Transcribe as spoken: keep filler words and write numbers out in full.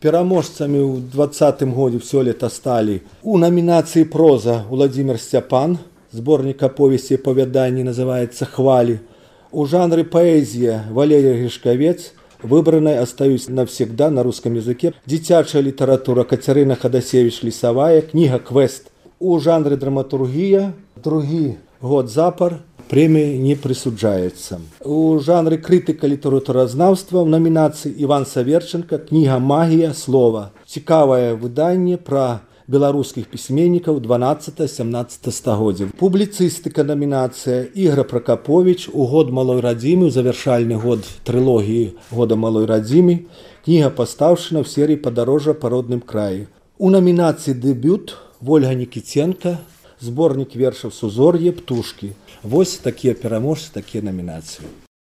Пераможцамі ў двадцатым годзе сёлета сталі у намінацыі проза Владзімир Сцяпан, зборнік аповесці і апавяданні называецца «Хвалі». У жанры паэзія Валерий Гришковец, выбранной остаюсь навсегда на русском языке. Дзіцячая літаратура Кацярына Хадасевич Лісавая, кніга «Квест». У жанры драматургія другі год запар прэмія не прысуджаецца. У жанры крытыка літаратуразнаўства ў намінацыі Іван Саверченко, кніга «Магія слова». Цікавае выданне пра беларускіх пісьменнікаў дванаццатага-сямнаццатага стагоддзя. Публіцыстыка намінацыя Ігор Пракапович у год малой радзімы, у завяршальны год трылогіі года малой радзімы. Кніга пастаўшчына ў серыі «Падарожжа па родным краі». У намінацыі дэбют Вольга Нікіценка, зборнік вершаў «Сузор'е», «Птушкі». Вось такія пераможцы, такія намінацыі.